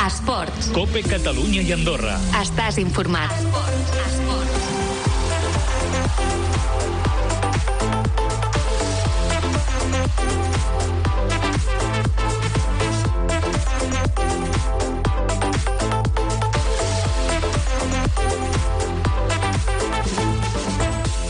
Esports. COPE Catalunya i Andorra. Estàs informat.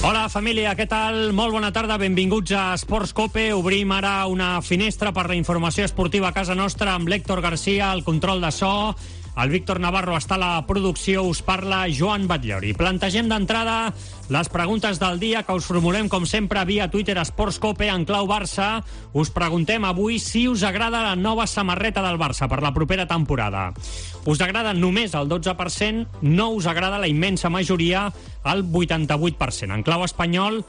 Hola, família, què tal? Molt bona tarda, benvinguts a Esports COPE. Obrim ara una finestra per la informació esportiva a casa nostra amb l'Héctor García, el control de so. El Víctor Navarro està a la producció, us parla Joan Batllori. Plantegem d'entrada les preguntes del dia que us formulem, com sempre, via Twitter Esports COPE en clau Barça. Us preguntem avui si us agrada la nova samarreta del Barça per la propera temporada. Us agrada només el 12%, no us agrada la immensa majoria, el 88%. En clau espanyol,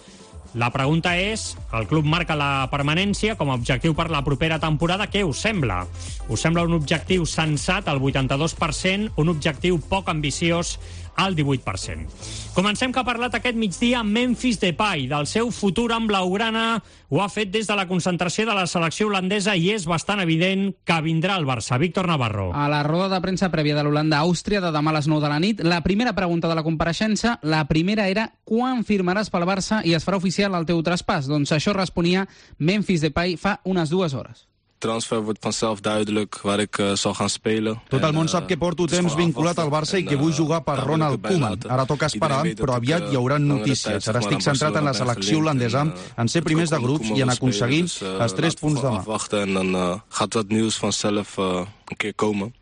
la pregunta és, el club marca la permanència com a objectiu per la propera temporada. Què us sembla? Us sembla un objectiu sensat, el 82%, un objectiu poc ambiciós, al 18%. Comencem, que ha parlat aquest migdia Memphis Depay del seu futur amb blaugrana. Ho ha fet des de la concentració de la selecció holandesa i és bastant evident que vindrà al Barça. Víctor Navarro. A la roda de premsa prèvia de l'Holanda-Àustria de demà a les 9 de la nit, la primera pregunta de la compareixença, la primera era quan firmaràs pel Barça i es farà oficial el teu traspàs? Doncs això responia Memphis Depay fa unes 2 hores. Transfer wordt vanzelf duidelijk waar ik zal gaan spelen. Tot el món sap que porto temps vinculat al Barça i que vull jugar per Ronald Koeman. Ara toca esperar, però aviat hi haurà notícies. Ara estic centrat en la selecció holandesa, en ser primers de grups i en aconseguir els 3 punts demà. En dan gaat dat nieuws vanzelf een keer komen.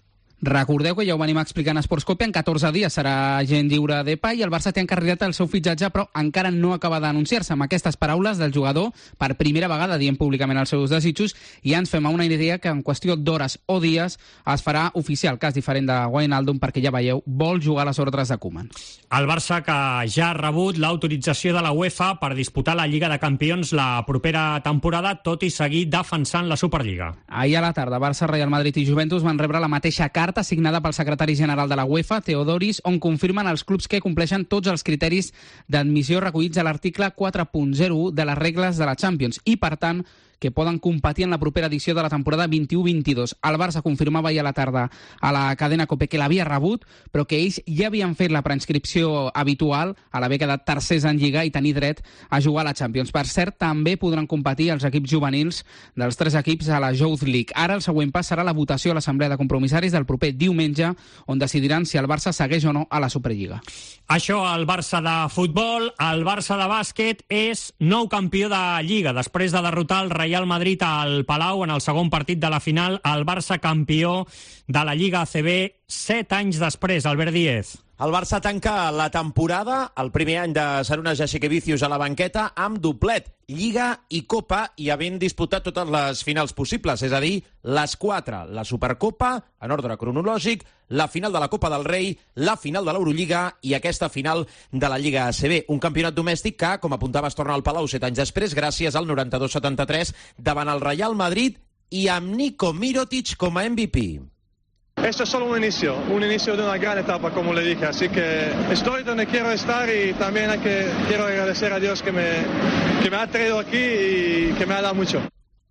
Recordeu que ja ho venim explicant a Esports COPE, en 14 dies serà agent lliure Depay i el Barça té encarregat el seu fitxatge, però encara no acaba d'anunciar-se. Amb aquestes paraules del jugador, per primera vegada dient públicament els seus desitjos, i ja ens fem a una idea que en qüestió d'hores o dies es farà oficial, cas diferent de Wijnaldum, perquè ja veieu, vol jugar a les ordres de Koeman. El Barça, que ja ha rebut l'autorització de la UEFA per disputar la Lliga de Campions la propera temporada, tot i seguir defensant la Superliga. Ahir a la tarda, Barça, Real Madrid i Juventus van rebre la mateixa carta signada pel secretari general de la UEFA, Theodoris, on confirmen els clubs que compleixen tots els criteris d'admissió recollits a l'article 4.01 de les regles de la Champions i, per tant, que poden competir en la propera edició de la temporada 21-22. El Barça confirmava ahir a la tarda a la cadena COPE que l'havia rebut, però que ells ja havien fet la preinscripció habitual a l'haver quedat tercers en Lliga i tenir dret a jugar a la Champions. Per cert, també podran competir els equips juvenils dels 3 equips a la Youth League. Ara el següent pas serà la votació a l'Assemblea de Compromissaris del proper diumenge, on decidiran si el Barça segueix o no a la Superliga. Això, el Barça de futbol. El Barça de bàsquet és nou campió de Lliga. Després de derrotar el Real Madrid al Palau en el segon partit de la final, el Barça campió de la Lliga ACB 7 anys després. Albert Díez. El Barça tanca la temporada, el primer any de Sarunas Jasikevičius a la banqueta, amb doblet, Lliga i Copa, i havent disputat totes les finals possibles, és a dir, les 4, la Supercopa, en ordre cronològic, la final de la Copa del Rei, la final de l'Eurolliga i aquesta final de la Lliga ACB. Un campionat domèstic que, com apuntava, es torna al Palau 7 anys després, gràcies al 92-73 davant el Real Madrid i amb Niko Mirotic com a MVP. Esto es solo un inicio de una gran etapa, como le dije, así que estoy donde quiero estar y también quiero agradecer a Dios que me ha traído aquí y que me ha dado mucho.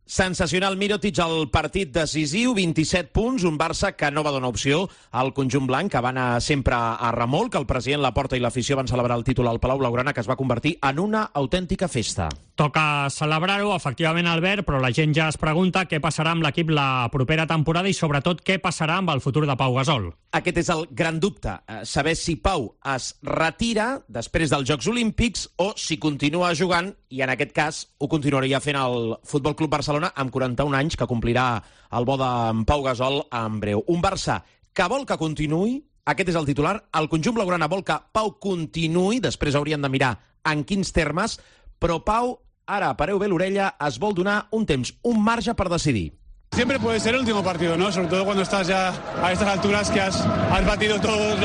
Sensacional Mirotic al partit decisiu, 27 punts, un Barça que no va donar opció al conjunt blanc, que va anar sempre a remolc. El president Laporta i l'afició van celebrar el títol al Palau Blaugrana, que es va convertir en una autèntica festa. Toca celebrar-ho, efectivament, Albert, però la gent ja es pregunta què passarà amb l'equip la propera temporada i, sobretot, què passarà amb el futur de Pau Gasol. Aquest és el gran dubte, saber si Pau es retira després dels Jocs Olímpics o si continua jugant, i en aquest cas ho continuaria fent el Futbol Club Barcelona amb 41 anys, que complirà el bo d'en Pau Gasol en breu. Un Barça que vol que continuï, aquest és el titular, el conjunt blaugrana vol que Pau continuï, després haurien de mirar en quins termes, però Pau, ara, pareu bé l'orella, es vol donar un temps, un marge per decidir. Siempre puede ser el último partido, ¿no? Sobre todo cuando estás ya a estas alturas que has batido todos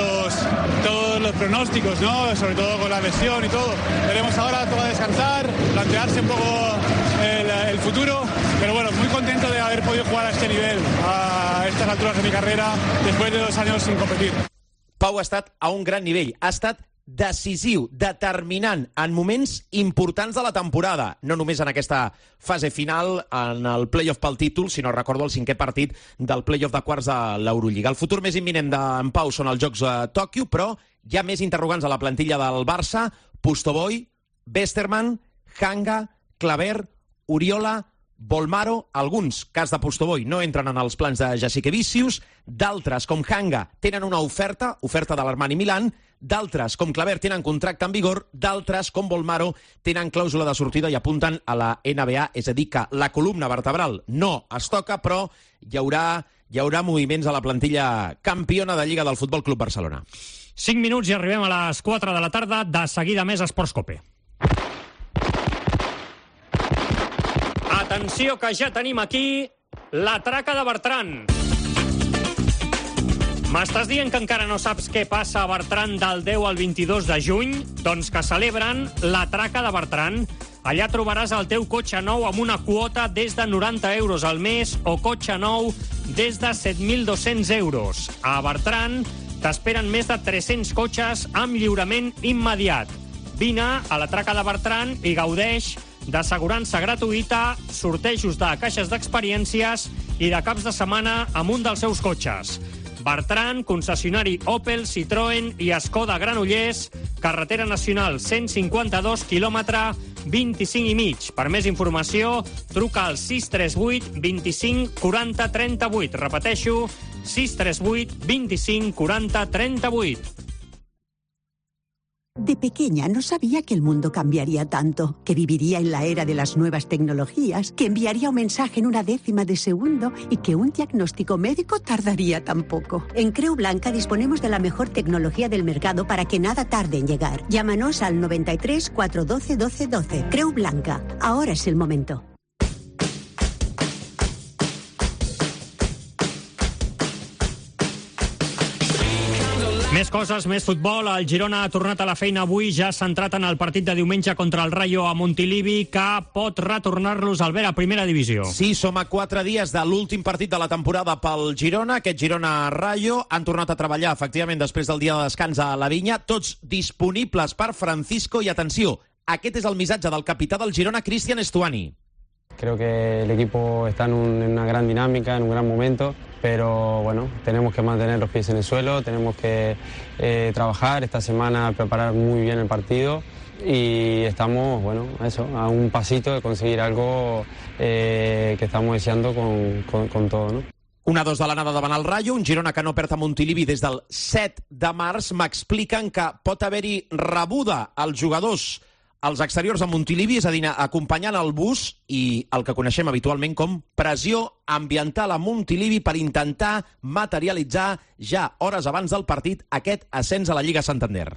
los pronósticos, ¿no? Sobre todo con la lesión y todo. Veremos ahora, toca descansar, plantearse un poco el futuro, pero bueno, muy contento de haber podido jugar a este nivel, a estas alturas de mi carrera, después de 2 años sin competir. Pau ha estat a un gran nivell, ha estat decisiu, determinant en moments importants de la temporada, no només en aquesta fase final en el play-off pel títol, sinó recordo el 5è partit del play-off de quarts de l'Eurolliga. El futur més imminent d'en Pau són els Jocs a Tòquio, però hi ha més interrogants a la plantilla del Barça: Pustovoy, Westerman, Hanga, Claver, Oriola, Bolmaro. Alguns, cas de Pustovoy, no entren en els plans de Jasikevičius, d'altres, com Hanga, tenen una oferta de l'Armani Milán, d'altres, com Claver, tenen contracte en vigor, d'altres, com Bolmaro, tenen clàusula de sortida i apunten a la NBA, és a dir, que la columna vertebral no es toca, però hi haurà moviments a la plantilla campiona de Lliga del Futbol Club Barcelona. 5 minuts i arribem a les 4 de la tarda. De seguida més Esports Cope. Atenció, que ja tenim aquí la traca de Bertran. M'estàs dient que encara no saps què passa a Bertran del 10 al 22 de juny? Doncs que celebren la traca de Bertran. Allà trobaràs el teu cotxe nou amb una quota des de 90 euros al mes o cotxe nou des de 7.200 euros. A Bertran t'esperen més de 300 cotxes amb lliurament immediat. Vine a la traca de Bertran i gaudeix d'assegurança gratuïta, sortejos de caixes d'experiències i de caps de setmana amb un dels seus cotxes. Bertran, concessionari Opel, Citroën i Skoda Granollers, carretera nacional 152, quilòmetre 25 i mig. Per més informació, truca al 638 25 40 38. Repeteixo, 638 25 40 38. De pequeña no sabía que el mundo cambiaría tanto, que viviría en la era de las nuevas tecnologías, que enviaría un mensaje en una décima de segundo y que un diagnóstico médico tardaría tan poco. En Creu Blanca disponemos de la mejor tecnología del mercado para que nada tarde en llegar. Llámanos al 93 412 12 12. Creu Blanca. Ahora es el momento. Més coses, més futbol. El Girona ha tornat a la feina avui, ja centrat en el partit de diumenge contra el Rayo a Montilivi, que pot retornar-los al Albert a primera divisió. Sí, som a 4 dies de l'últim partit de la temporada pel Girona, aquest Girona-Rayo. Han tornat a treballar, efectivament, després del dia de descans a la Vinya, tots disponibles per Francisco. I atenció, aquest és el missatge del capità del Girona, Cristian Stuani. Creo que el equipo está en una gran dinámica, en un gran momento, pero bueno, tenemos que mantener los pies en el suelo, tenemos que trabajar esta semana, preparar muy bien el partido y estamos, bueno, eso, a un pasito de conseguir algo que estamos deseando con todo, ¿no? 1-2 de l'anada davant el Rayo, un Girona que no perd a Montilivi des del 7 de març. M'expliquen que pot haver-hi rebuda als jugadors als exteriors de Montilivi, és a dir, acompanyant el bus i el que coneixem habitualment com pressió ambiental a Montilivi per intentar materialitzar ja hores abans del partit aquest ascens a la Lliga Santander.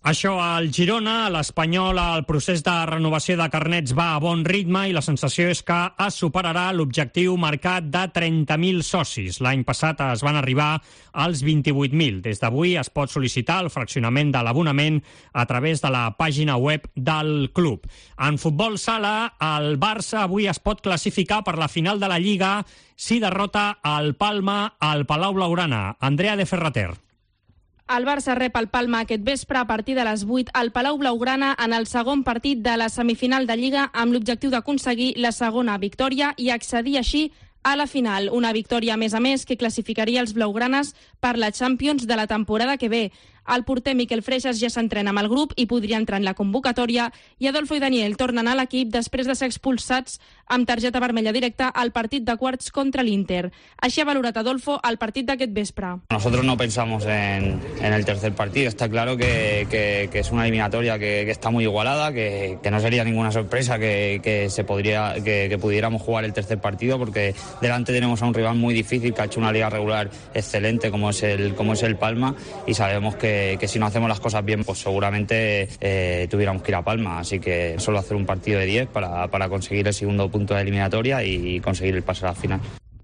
Això al Girona, a l'Espanyol, el procés de renovació de carnets va a bon ritme i la sensació és que es superarà l'objectiu marcat de 30.000 socis. L'any passat es van arribar als 28.000. Des d'avui es pot sol·licitar el fraccionament de l'abonament a través de la pàgina web del club. En futbol sala, el Barça avui es pot classificar per la final de la Lliga si derrota el Palma al Palau Blaugrana. Andrea de Ferrater. El Barça rep el Palma aquest vespre a partir de les 8 al Palau Blaugrana en el segon partit de la semifinal de Lliga amb l'objectiu d'aconseguir la segona victòria i accedir així a la final. Una victòria, a més, que classificaria els blaugranes per la Champions de la temporada que ve. El porter Miquel Freixas ja s'entrena amb el grup i podria entrar en la convocatòria i Adolfo i Daniel tornen a l'equip després de ser expulsats amb targeta vermella directa al partit de quarts contra l'Inter. Així ha valorat Adolfo el partit d'aquest vespre. Nosotros no pensamos en el tercer partido. Está claro que es una eliminatoria que está muy igualada, que no sería ninguna sorpresa que pudiéramos jugar el tercer partido porque delante tenemos a un rival muy difícil que ha hecho una liga regular excelente como es el Palma y sabemos que si no hacemos las cosas bien, pues seguramente tuviéramos que ir a Palma. Así que solo hacer un partido de 10 para conseguir el segundo punto de eliminatoria y conseguir el pase a la final.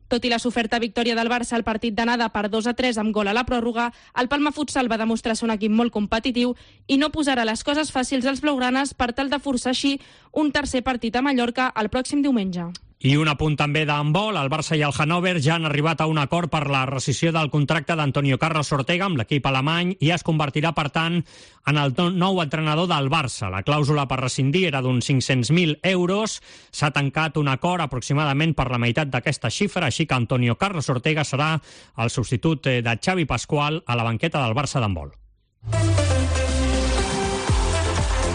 Tot i la soferta victòria del Barça al partit d'anada per 2-3 amb gol a la pròrroga, el Palma Futsal va demostrar ser un equip molt competitiu i no posarà les coses fàcils als blaugranes per tal de forçar així un tercer partit a Mallorca el pròxim diumenge. I un apunt també d'handbol. El Barça i el Hannover ja han arribat a un acord per la rescissió del contracte d'Antonio Carlos Ortega amb l'equip alemany i es convertirà, per tant, en el nou entrenador del Barça. La clàusula per rescindir era d'uns 500.000 euros. S'ha tancat un acord aproximadament per la meitat d'aquesta xifra, així que Antonio Carlos Ortega serà el substitut de Xavi Pascual a la banqueta del Barça d'handbol.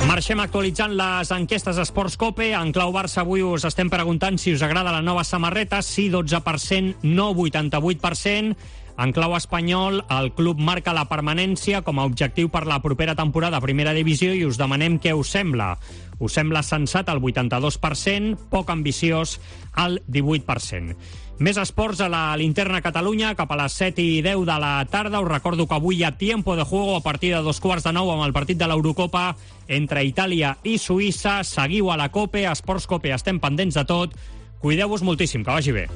Marxem actualitzant les enquestes Esports Cope. En clau Barça avui us estem preguntant si us agrada la nova samarreta. Sí, 12%, no 88%. En clau espanyol, el club marca la permanència com a objectiu per la propera temporada a primera divisió i us demanem què us sembla. Us sembla sensat el 82%, poc ambiciós el 18%. Més esports a la Linterna Catalunya, cap a les 7:10 de la tarda. Us recordo que avui hi ha tiempo de juego a partir de 8:45 amb el partit de l'Eurocopa entre Itàlia i Suïssa. Seguiu a la COPE, a Esports Cope, estem pendents de tot. Cuideu-vos moltíssim, que vagi bé.